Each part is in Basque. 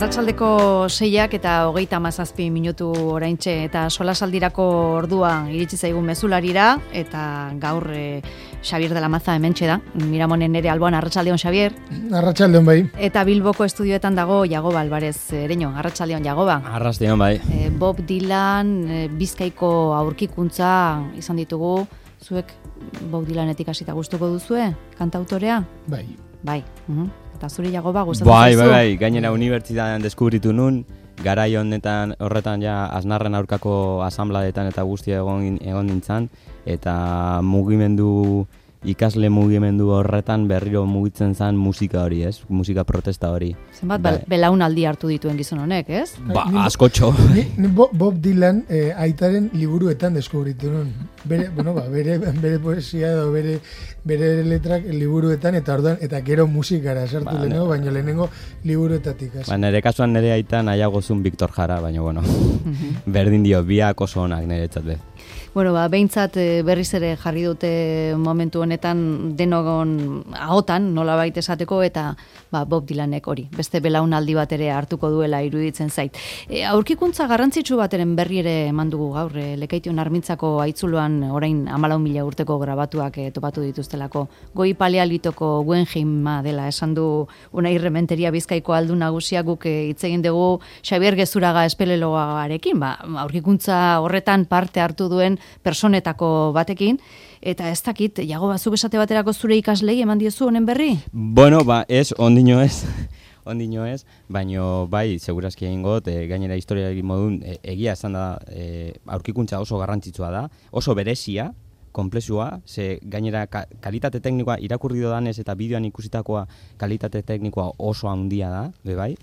Arratsaldeko 6ak eta 37 minutu oraintxe eta solasaldirako ordua iritsi zaigun mezularira eta gaur Xabier de la Maza hementxe da. Miramonen ere alboan. Arratsaldeon, Xabier. Arratsaldeon bai. Eta Bilboko estudioetan dago Jagoba Alvarez Ereño. Arratsaldeon, Jagoba. Arratsaldeon bai. Bob Dylan, Bizkaiko aurkikuntza izan ditugu. Zuek Bob Dylanetik hasita gustuko duzue kantautorea? Bai. Bai. Eta zuri Jagoba gustatzen zaizu? Bai. Gainera unibertsitatean deskubritu nun, garai honetan horretan ja Aznarren aurkako asanbladetan eta guztia egon nintzen, eta ikasle mugimendu horretan berriro mugitzen zen musika hori, ez? Musika protesta hori. Zenbat belaunaldi hartu dituen gizon honek, ez? Askotxo. Ni Bob Dylan aitaren liburuetan deskubritu nun. Bere poesia edo bere letrak liburuetan eta orduan eta gero musikara sartu lehenengo, baina lehenengo liburuetatik. Nire kasuan nire aita nahiago zuen Victor Jara, baina berdin dio, biak oso onak niretzat be. Behintzat berriz ere jarri dute momentu honetan denogon ahotan, nolabait esateko, eta Bob Dylanek hori, beste belaunaldi bat ere hartuko duela iruditzen zait. Aurkikuntza garrantzitsu bateren berri ere eman dugu gaur, Lekeition Armintzako haitzuloan orain 14.000 urteko grabatuak topatu dituztelako. Goi paleolitoko Guggenheima dela esan du Unai Rementeria Bizkaiko aldu nagusia, guk hitz egin dugu Xabier Gezuraga espeleologarekin, aurkikuntza horretan parte hartu duen personetako batekin, eta ez dakit, Jagoba, zuk esate baterako zure ikaslei eman diezu honen berri? Ez, ondino ez, baino bai, segurazki egin got, gainera historia egin modun, egia esan da, aurkikuntza oso garrantzitsua da, oso berezia, komplexua, ze gainera kalitate teknikoa irakurri dodanez eta bideoan ikusitakoa kalitate teknikoa oso handia da, bai.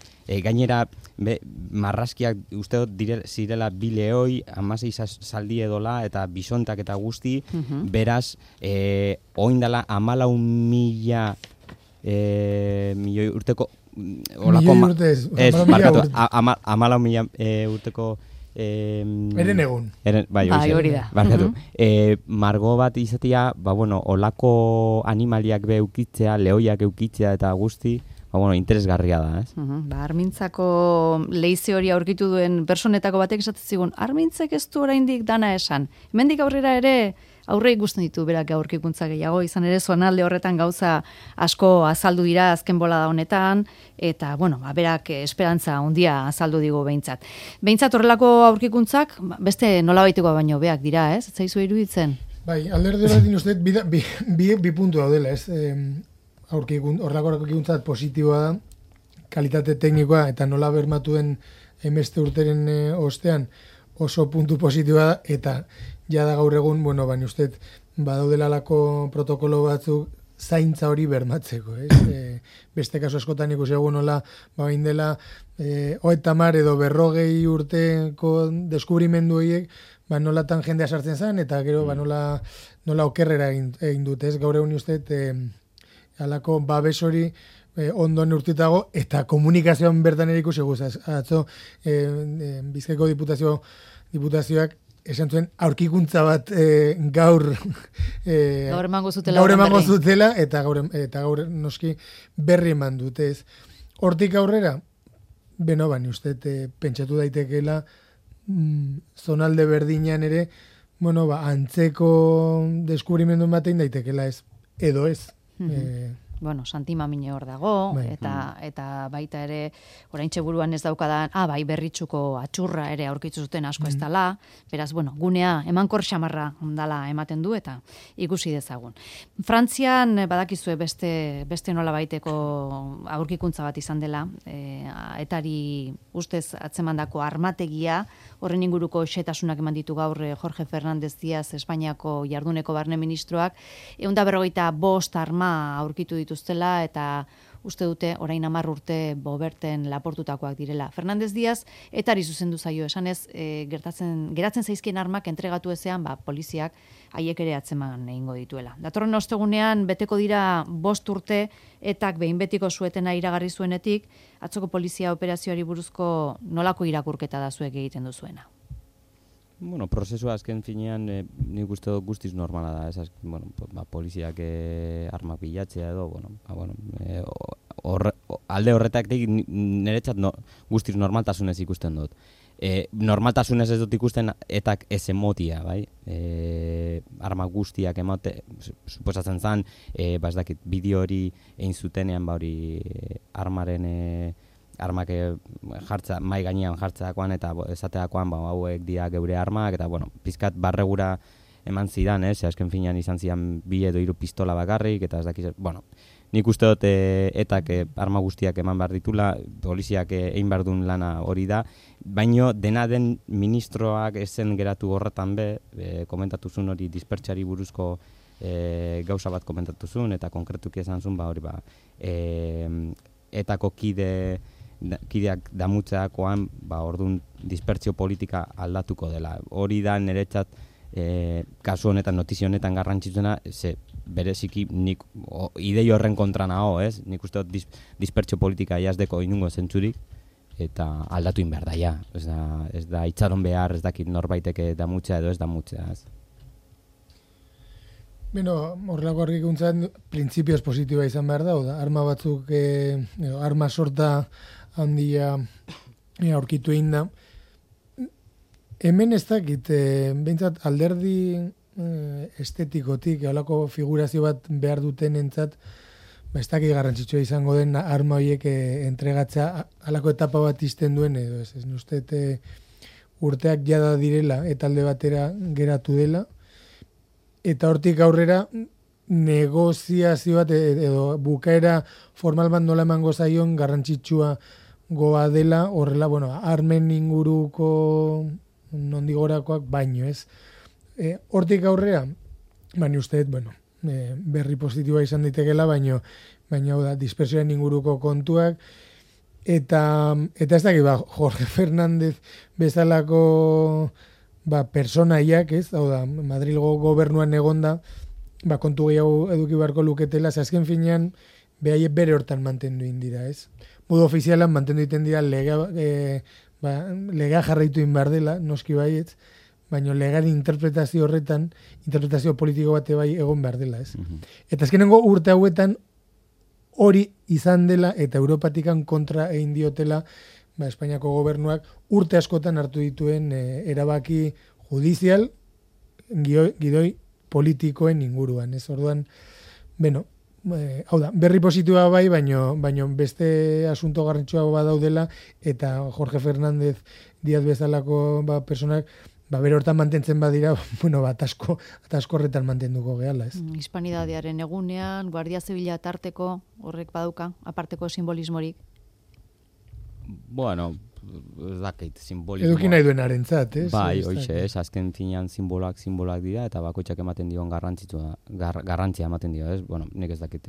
Gainera marrazkiak uste dut zirela 2 leoi, 16 zaldi edola eta bisontak eta guzti, beraz, oindala 14.000 milioi urteko milioi urte ez, 14.000 urteko Eren egun. Bai, hori da. Margo bat izatea, olako animaliak eukitzea, lehoiak eukitzea eta guzti, interesgarria da, ez? Armintzako leize hori aurkitu duen personetako batek esatzen zigun, Armintzek ez du oraindik dana esan. Hemendik aurrera ere aurre ikusten ditu berak aurkikuntza gehiago, izan ere zonalde horretan gauza asko azaldu dira azken bolada honetan, eta, berak esperantza handia azaldu digu behintzat. Behintzat horrelako aurkikuntzak, beste nolabaiteko baino beak dira, ez? Ez zaizu iruditzen? Bai, alderde bat uste, bi puntu daudela, ez? Horrelako aurkikuntzat positiboa da, kalitate teknikoa, eta nola bermatuen emeste urteren ostean oso puntu positiboa da, eta jada gaur egun, baina uste, badaudelalako protokolo batzuk zaintza hori bermatzeko, ez? Beste kasu askotan ikusi egun nola, bain dela, 30 edo 40 urteko deskubrimendu horiek, nolatan jendea sartzen zen, eta gero, nola okerrera egin dute, ez? Gaur egun uste, alako babes hori ondo neurtitago, eta komunikazioan bertan ere ikusi guzaz. Atzo, Bizkaiko diputazioak esan zuen aurkikuntza bat gaur emango zutela eta gaur noski berri eman dute, ez. Hortik aurrera, uste, pentsatu daitekeela zonalde berdinean ere, antzeko deskubrimendu batein daitekeela, ez, edo ez. Santi Mamine hor dago, eta baita ere, oraintxe buruan ez daukadan, berritxuko atxurra ere aurkitzu zuten asko ez dala, beraz, gunea emankor xamarra dala ematen du, eta ikusi dezagun. Frantzian, badakizue beste nola baiteko aurkikuntza bat izan dela, etari ustez atzemandako armategia, horren inguruko xetasunak eman ditu gaur Jorge Fernández Díaz, Espainiako jarduneko barne ministroak, 155 arma aurkitu dituztela eta uste dute orain 10 urte Boberten laportutakoak direla. Fernández Díaz etari zuzendu zaio esanez, geratzen zaizkien armak entregatu ezean, poliziak haiek ere atzeman egingo dituela. Datorren ostegunean beteko dira 5 urte etak behin betiko suetena iragarri zuenetik, atzoko polizia operazioari buruzko nolako irakurketa da zuek egiten duzuena? Prozesua azken finean nik uste dut guztiz normala da, poliziak armak bilatzea edo, alde horretatik niretzat guztiz normaltasunez ikusten dut. Normaltasunez ez dut ikusten etak ez emotia, bai? Arma guztiak emote, suposatzen zen, ez dakit, bideo hori egin zutenean, hori armak jartza, mai gainean jartzeakoan eta esateakoan, hauek dira geure armak, eta, pizkat barregura eman zidan, azken finean izan zidan 2 edo 3 pistola bakarrik, eta ez dakiz, nik uste dut etak arma guztiak eman behar ditula, poliziak egin behar duen lana hori da, baino dena den ministroak ezen geratu horretan komentatu zuen hori dispertsari buruzko gauza bat komentatu zuen, eta konkretuki esan zuen, hori etako kideak damutzeakoan, orduan dispertsio politika aldatuko dela. Hori da niretzat kasu honetan, notizio honetan garrantzitsuena, bereziki nik idei horren kontra nago, ez? Nik uste dut dispertsio politika jazdeko inungo zentzurik, eta aldatu inbehar da, ja. Ez da itxaron behar, ez dakit norbaiteke damutzea edo ez damutzea, ez? Horrelako argikuntzan, printzipioz positiboa izan behar da, arma batzuk, arma sorta handia aurkitu egin da. Hemen ez dakit, behintzat alderdi estetikotik, halako figurazio bat behar duten entzat, ez dakit garrantzitsua izango den arma horiek entregatza halako etapa bat izten duen, edo ez uste urteak jada direla eta alde batera geratu dela, eta hortik aurrera negoziazio bat edo bukaera formal bat nola emango zaion garrantzitsua goa dela, horrela, armen inguruko nondigorakoak baino, ez? Hortik aurrera, baina uste, berri positiboa izan daitekela, baina hau da, dispersioaren inguruko kontuak, eta ez dakit, Jorge Fernández bezalako personaiak, ez? Hau da, Madrilgo gobernuan egonda, kontu gehiago eduki beharko luketela, azken finean, behaiek bere hortan mantendu indira, ez? Modu ofizialan mantendu iten dira lega jarraitu inbar dela, noski baietz, baina legaren interpretazio horretan, interpretazio politiko bate bai egon behar dela, ez? Eta azkenengo urte hauetan hori izan dela eta Europatikan kontra egin diotela Espainiako gobernuak urte askotan hartu dituen erabaki judizial gidoi politikoen inguruan, ez? Orduan, hau da, berri positiboa bai, baino beste asunto garrantzitsua badaudela eta Jorge Fernández Díaz bezalako personak bere hortan mantentzen badira, atasko horretan mantenduko gehala, ez? Hispanidadearen egunean, Guardia Zibila tarteko horrek baduka, aparteko simbolismorik? Ez dakit, simbolismoa. Eduki nahi duen arentzat, ez? Bai, hoxe, ez, azken finean simbolak dira, eta bakoitzak ematen dion garrantzia ematen dio, ez? Nik ez dakit,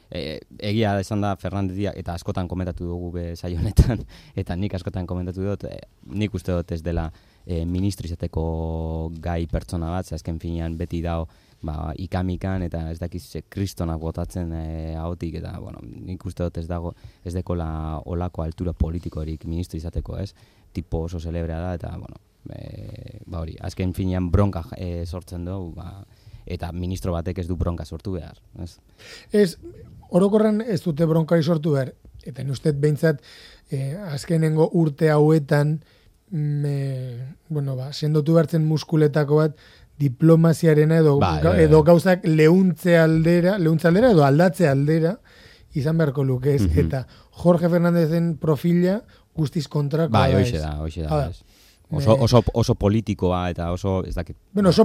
egia esan da Fernandez eta askotan komentatu dugu saio honetan, eta nik askotan komentatu dut, nik uste dut ez dela ministro izateko gai pertsona bat, azken finean beti dao ikamikan eta ez dakiz kristonak botatzen ahotik, eta nik uste dut ez dekola olako altura politikorik ministro izateko, ez? Tipo oso celebrea da, eta hori, azken finean bronka sortzen du, eta ministro batek ez du bronka sortu behar, ez? Ez, orokorran ez dute bronkari sortu behar, eta nustet behintzat azkenengo urte hauetan sendotu behartzen muskuletako bat diplomaziarena edo gauzak leuntze aldera edo aldatze aldera izan beharko luke, ez? Eta Jorge Fernándezen profila guztiz kontrakoa da, ez? Hoxe da. Oso politikoa eta oso, ez dakit. Oso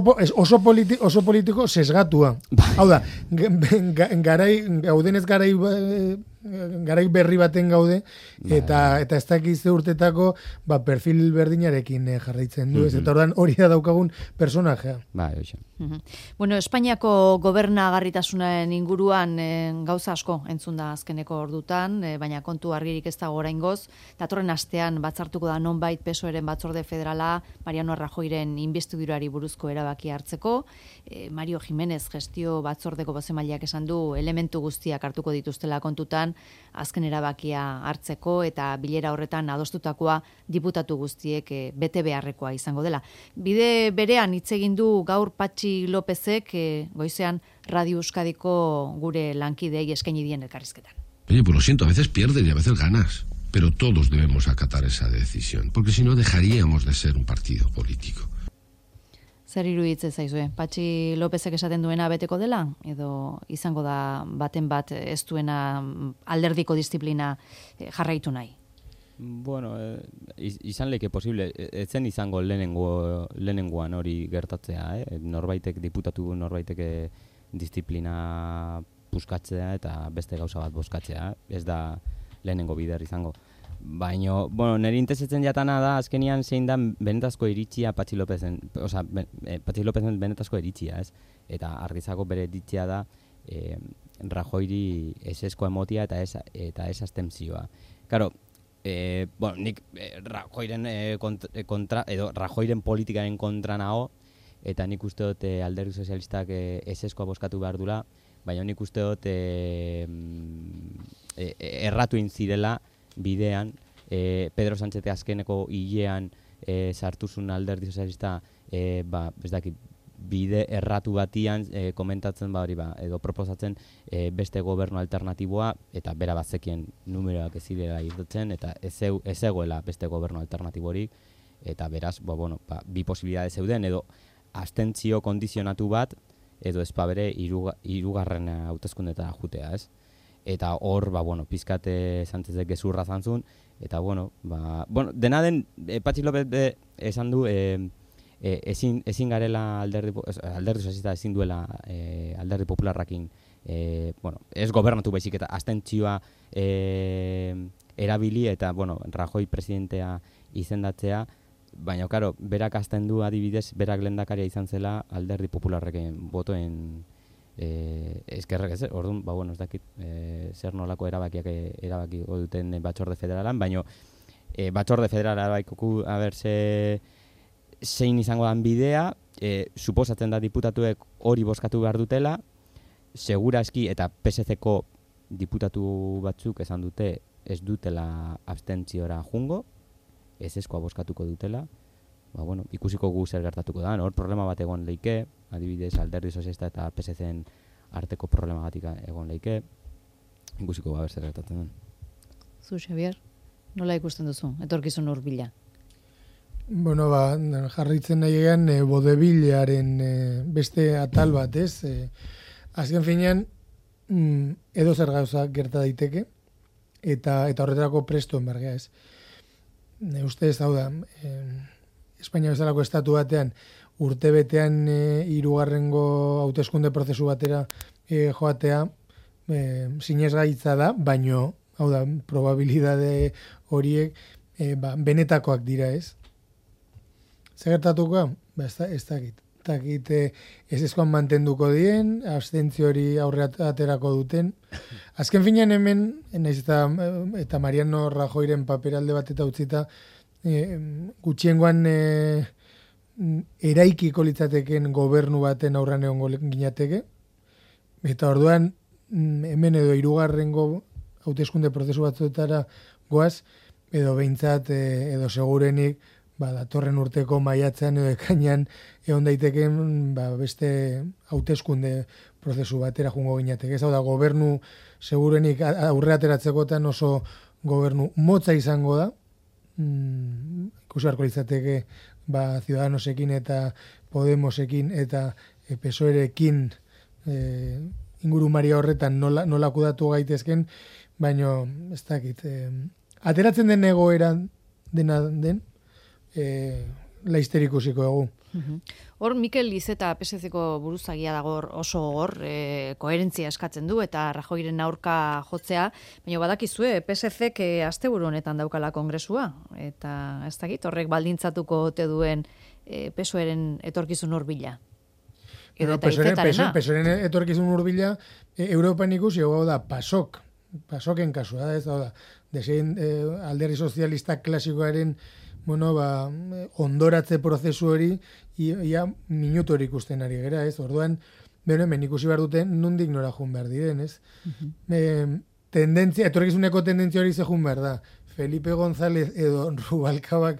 politiko sesgatua. Hau da, gaudenez garai berri baten gaude, eta ez dakiz urtetako perfil berdinarekin jarraitzen du, ez? Eta ordan hori da daukagun personajea. Bai, hoxe. Espainiako gobernagarritasunaren inguruan gauza asko entzun da azkeneko ordutan, baina kontu argirik ez dago oraingoz. Datorren astean batzartuko da nonbait PSOEren batzorde federala Mariano Rajoyren inbestidurari buruzko erabaki hartzeko. Mario Jiménez gestio batzordeko bozemaileak esan du elementu guztiak hartuko dituztela kontutan azken erabakia hartzeko, eta bilera horretan adostutakoa diputatu guztiek bete beharrekoa izango dela. Bide berean hitz egin du gaur Patxi Lópezek goizean Radio Euskadiko gure lankidei eskaini dien elkarrizketan. Oye, pues lo siento, a veces pierdes y a veces ganas, pero todos debemos acatar esa decisión, porque si no dejaríamos de ser un partido político. Zer iruditzen zaizue? Patxi Lópezek esaten duena beteko dela? Edo izango da baten bat ez duena alderdiko disiplina jarraitu nahi? Bueno, izan leke posible, ez zen izango lehenengoan hori gertatzea, norbaitek diputatu, norbaitek disiplina puskatzea eta beste gauza bat bozkatzea, ez da lehenengo bider izango. Baina, bueno, nire interesetzen jatana da, azkenian zein da benetazko iritzia Patxi Lópezen, Patxi Lópezen benetazko iritzia, ez? Eta argizako bere iritzia da Rajoiri esesko emotia eta ez abstentzioa. Claro, bueno, nik Rajoiren kontra, edo Rajoiren politikaren kontra nago, eta nik uste dut Alderdi Sozialistak eseskoa bozkatu behar dula, baina nik uste dut erratu inzirela bidean, Pedro Sánchez azkeneko hilean sartuzun Alderdi Sozialista, ez dakit, bide erratu batian komentatzen edo proposatzen beste gobernu alternatiboa, eta bera bazekien numeroak ez zirela irtetzen, eta ez egoela beste gobernu alternatiborik, eta beraz, bi posibilidade zeuden, edo abstentzio kondizionatu bat, edo ezpabere hirugarren hauteskundetara jutea, ez? Eta hor, pizkate Sánchezek gezurra zantzun, eta dena den, Patxi López esan du, ezin garela Alderdi Sozialista ezin duela Alderdi Popularrakin, ez gobernatu baizik eta abstentzioa erabili, eta, Rajoy presidentea izendatzea, baina, karo, berak azten du adibidez, berak lehendakaria izan zela Alderdi Popularreken botoen eskerrek ez, orduan, ez dakit zer nolako erabaki duten Batzorde Federalan, baina Batzorde Federala erabakiko zein izango dan bidea, suposatzen da diputatuek hori bozkatu behar dutela, segurazki eta PSC-ko diputatu batzuk esan dute ez dutela abstentziora jungo, eseskoa bozkatuko dutela, ikusiko gu zer gertatuko da, hor problema bat egon leike, adibidez Alderdi Sozialista eta PSC-en arteko problema batik egon leike, ikusiko zer gertatzen den. Zu, Xabier, nola ikusten duzu, etorkizun hurbila? Bueno, jarraitzen nahi egan bodebilaren beste atal bat, ez? Azken finean, edo zer gauza gerta daiteke, eta horretarako prestoen bargea, ez? Uste ez hau da, Espainia bezalako estatu batean, urtebetean hirugarrengo hauteskunde prozesu batera joatea, sinesgaitza da, baino, hau da, probabilidade horiek benetakoak dira, ez? Zer gertatuko? Ez dakit eseskoan mantenduko dien, abstentzio hori aurre aterako duten. Azken finean hemen, naiz eta Mariano Rajoyren paperalde bat eta utzita, gutxiengoan eraikiko litzateken gobernu baten aurran egongo ginateke, eta orduan hemen edo hirugarrengo hauteskunde prozesu batzuetara goaz, edo behintzat, edo segurenik, datorren urteko maiatzean edo ekainan egon daiteken beste hauteskunde prozesu batera jungo ginateke. Ez hau da, gobernu segurenik aurre ateratzekotan oso gobernu motza izango da, ikusi beharko litzateke Ciudadanosekin eta Podemosekin eta PSOErekin ingurumari horretan nola kudatu gaitezken, baino ez dakit. Ateratzen den egoeran dena den, laizter ikusiko egu. Hor, Mikel Iceta PSC-ko buruzagia dago oso hor, koherentzia eskatzen du eta Rajoyren aurka jotzea, baina badakizue, PSC-k asteburu honetan daukala kongresua, eta ez dakit, horrek baldintzatuko ote duen PSOEren etorkizun hurbila. PSOEren etorkizun hurbila, Europan ikusi, hau da, PASOK-en kasua, ez da, desein Alderdi Sozialista klasikoaren ondoratze prozesu hori ia minutu hori ikusten ari gera, ez? Orduan, hemen ikusi behar duten nondik nora jun behar diren, ez? Etorkizuneko tendentzia hori ze jun behar da. Felipe González edo Rubalcabak,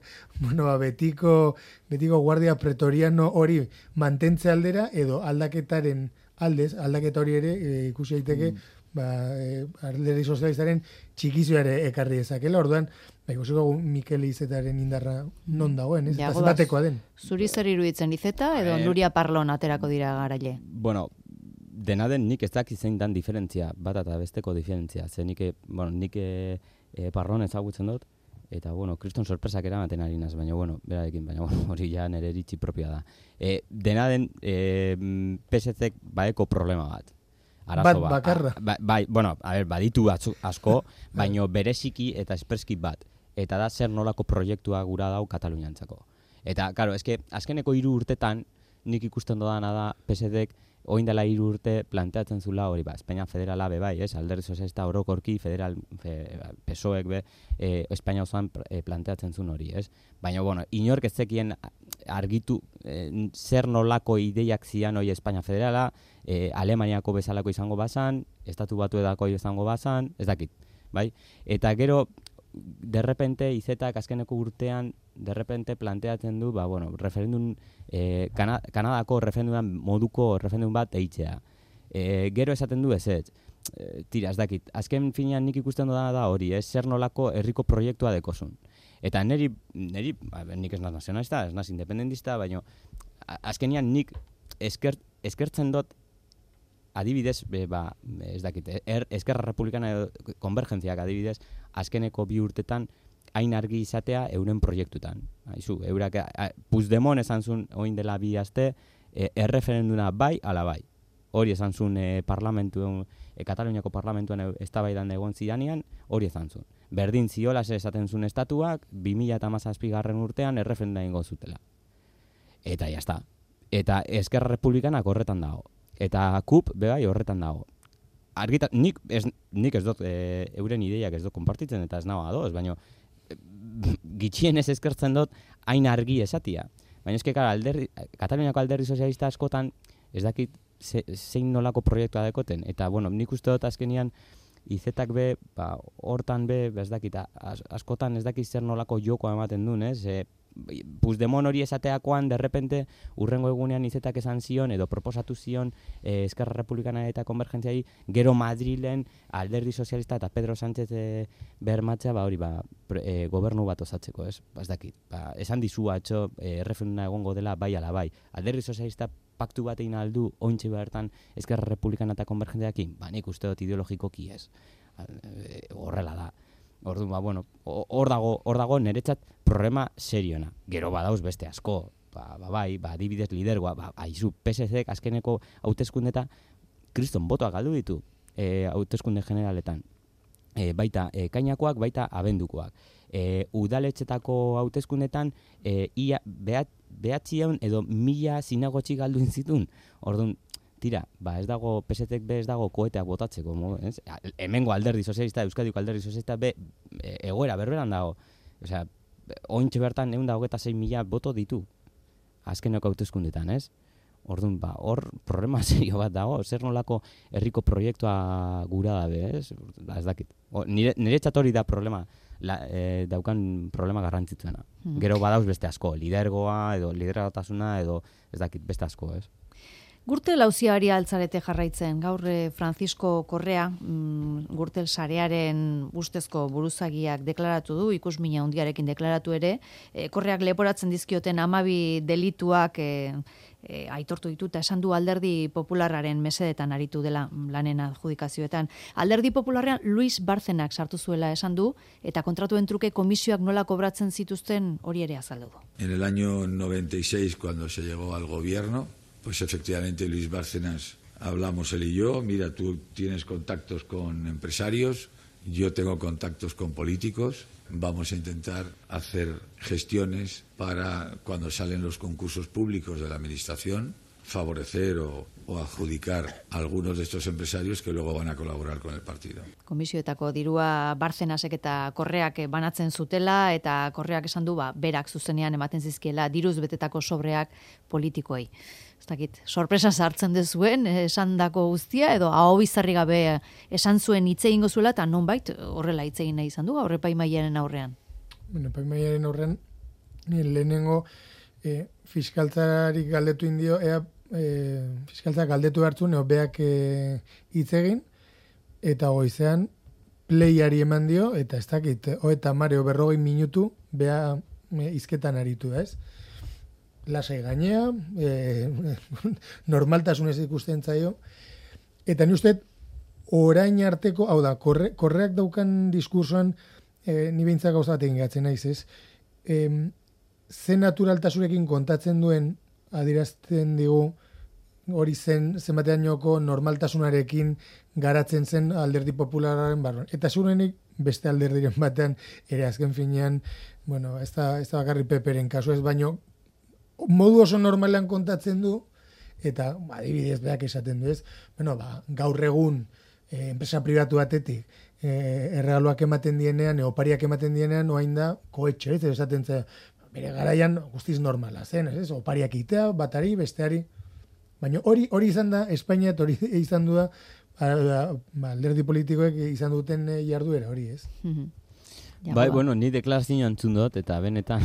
betiko guardia pretoriano hori mantentze aldera edo aldaketaren aldaketa hori ere ikusi daiteke alderdi sozialistaren txikizioare ekarri dezakela, orduan, ikusiko Mikel Izetaren indarra non dagoen, ez? Eta zenbatekoa den. Zuri zer iruditzen Izeta edo Nuria Parlon aterako dira garaile? Bueno, dena den nik ez dakit zein dan diferentzia, bat eta besteko diferentzia. Ze nik Parlon ezagutzen dut, eta, kriston sorpresak eramaten ari naz, baina, berarekin, baina, hori ja nire iritzi propioa da. Dena den, PSC-ek baeko problema bat. Arazo bat. Bakarra. Baditu asko, baina bereziki eta espreski bat. Eta da zer nolako proiektua gura dau Kataluniantzako. Eta, karo, azkeneko 3 urtetan, nik ikusten dodana da PSC-ek oin dela 3 urte planteatzen zula hori, Espainia federala bai, alderdi sozialista orokorki federal PSOEk Espainia osoan planteatzen zuen hori, Baina, inork ez zekien argitu zer nolako ideiak zian hori Espainia federala, Alemaniako bezalako izango bazan, Estatu Batuetako izango bazan, ez dakit, bai? Eta gero, derrepente, Izetak azkeneko urtean, derrepente planteatzen du, referendum, Kanadako moduko referendum bat eitzea. Gero esaten du ez. Tira, ez dakit, azken finean nik ikusten da hori, zer nolako herriko proiektua dekozun. Eta nik ez naz nazionalista, ez naz independentista, baina azkenian nik eskertzen dut adibidez, ez dakit, Eskerra Republikana edo konvergentziak adibidez, azkeneko 2 urtetan hain argi izatea euren proiektutan. Eurak, Puigdemont esan zuen oin dela 2 aste, erreferenduna bai, ala bai. Hori esan zuen Kataluniako parlamentuan eztabaidan egon zidanean, hori esan zuen. Berdin ziola esaten zuen estatuak, 2017 urtean erreferenduna ingo zutela. Eta jazta. Eta Eskerra Republikanak horretan dago. Eta KUP bebai horretan dago. Nik ez dut euren ideiak ez dut konpartitzen eta ez nago adoz, baina gitxien ez eskertzen dut hain argi esatia. Baina eske Kataluniako alderdi sozialista askotan ez dakit zein nolako proiektua dekoten. Eta nik uste dut azkenian Izetak hortan ez dakit, askotan ez dakit zer nolako jokoa ematen duen, Puigdemont hori esateakoan, derrepente, urrengo egunean Izetak esan zion, edo proposatu zion Eskerra Republikana eta Konvergentziai, gero Madrilen alderdi sozialista eta Pedro Sánchez bermatzea, gobernu bat osatzeko, ez dakit. Esan dizu atxo, erreferenduma egongo dela bai ala bai. Alderdi sozialista paktu bat egin aldu, ointxe bertan Eskerra Republikana eta Konvergentziakin, nik uste dut ideologikoki ez. Horrela da. Orduan, hor dago niretzat problema seriona. Gero badauz beste asko, adibidez lidergoa, aizu, PSC-ek azkeneko hauteskundeta kriston botoak galdu ditu hauteskunde generaletan. Baita ekainakoak, baita abendukoak. Udaletxetako hauteskundetan behatzion edo 1000 zinagotxi galdu zituen. Orduan, tira, ez dago, PSC-ek ez dago koeteak botatzeko, hemengo alderdi sozialista, Euskadiko alderdi sozialista egoera berberan dago. Osea, ointxe bertan 126.000 boto ditu, azkeneko hauteskundetan, ez? Orduan, hor problema serio bat dago, zer nolako herriko proiektua gura dabe, ez? Ez dakit. Niretzat hori da problema, daukan problema garrantzitsuena. Gero badauz beste asko, lidergoa, edo lidergotasuna, edo ez dakit, beste asko, ez? Gürtel auziari altzarete jarraitzen, gaur Francisco Correa, Gürtel sarearen ustezko buruzagiak deklaratu du, ikusmina handiarekin deklaratu ere, Correak leporatzen dizkioten 12 delituak aitortu ditu eta esan du Alderdi Popularraren mesedetan aritu dela lanen adjudikazioetan. Alderdi Popularrean Luis Bárcenak sartu zuela esan du, eta kontratuen truke komisioak nola kobratzen zituzten hori ere azaldu du. En el año 96, cuando se llegó al gobierno, pues efectivamente Luis Bárcenas, hablamos él y yo, mira, tú tienes contactos con empresarios, yo tengo contactos con políticos, vamos a intentar hacer gestiones para cuando salen los concursos públicos de la administración, favorecer o adjudicar a algunos de estos empresarios que luego van a colaborar con el partido. Komisioetako dirua Bárcenasek eta Correak banatzen zutela, eta Correak esan du berak zuzenean ematen zizkiela diruz betetako sobreak politikoei. Ez dakit, sorpresa sartzen dezuen, esan dako guztia, edo aho bizarri gabe esan zuen hitz egingo zuela, eta nonbait horrela hitz egin nahi izan du, gaur epaimahaiaren aurrean. Epaimahaiaren aurrean, lehenengo fiskaltzarik galdetu indio, fiskaltzak galdetu hartzun, beak hitz egin, eta goizean playari eman dio, eta ez dakit, eta mareo 40 minutu, bea izketan aritu, ez? Lasai gainea, normaltasunez ikusten zaio, eta ni uste, orain arteko, hau da, korreak daukan diskursoan, ni behintzak gauza bat egin gatzen naiz, ez? Ze naturaltasunekin kontatzen duen, adierazten digu, hori zenbateainoko normaltasunarekin garatzen zen alderdi popularraren barruan. Eta zurenik beste alderdiren batean, ere azken finean, bueno, ez da bakarri Peperen kasu ez, baino modu oso normalean kontatzen du, eta adibidez beak esaten du ez, bueno, gaur egun enpresa pribatu batetik erregaloak ematen dienean, opariak ematen dienean, oain da koetxe, ez esaten zen, bere garaian guztiz normala zen, ez? Opariak itea, batari, besteari. Baina hori izan da, Espainia hori izan du da, alderdi politikoek izan duten jarduera hori, ez? Bai, bueno, ni deklarazioa entzun dut, eta benetan,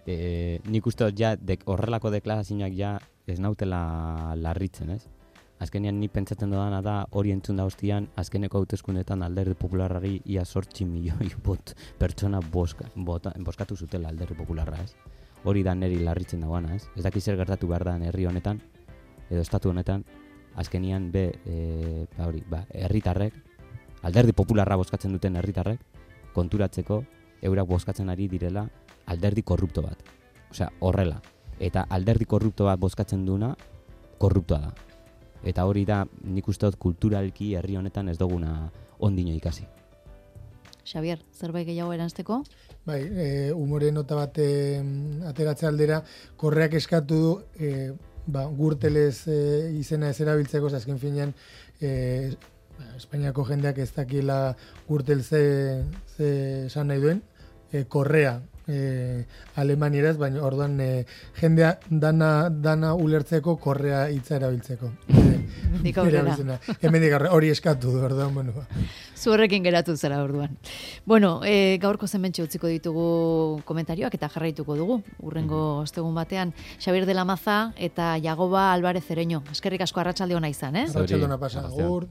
nik uste dut horrelako deklarazioak ja ez nautela larritzen, ez? Azkenean ni pentsatzen dudana da hori entzun da hostian, azkeneko hauteskundetan alderdi popularrari ia 8 milioi pertsona boskatu zutela alderdi popularra, ez? Hori da neri larritzen dagoana, ez? Ez dakiz zer gertatu behar da herri honetan, edo estatu honetan, azkenian herritarrek, alderdi popularra bozkatzen duten herritarrek, konturatzeko eurak bozkatzen ari direla alderdi korrupto bat. Osea, horrela. Eta alderdi korrupto bat bozkatzen duena, korruptoa da. Eta hori da, nik uste dut kulturalki herri honetan ez duguna ondino ikasi. Xavier, zerbait gehiago eranzteko? Bai, umore nota bat ateratze aldera, korreak eskatu du, gurtelez izena ez erabiltzeko, azken finean, Espainiako jendeak ez dakiela gurtel ze esan nahi duen, korrea alemanieraz, baina orduan jendea dana ulertzeko korrea hitza erabiltzeko. Hemendik aurrera, hori eskatu du, orduan, bueno. Zuhorrekin geratu zara orduan. Bueno, gaurko zementxe utziko ditugu komentarioak eta jarraituko dugu, urrengo ostegun batean. Xabier de la Maza eta Jagoba Álvarez Ereño. Eskerrik asko arratsalde ona izan, Arratsalde ona pasa, agur.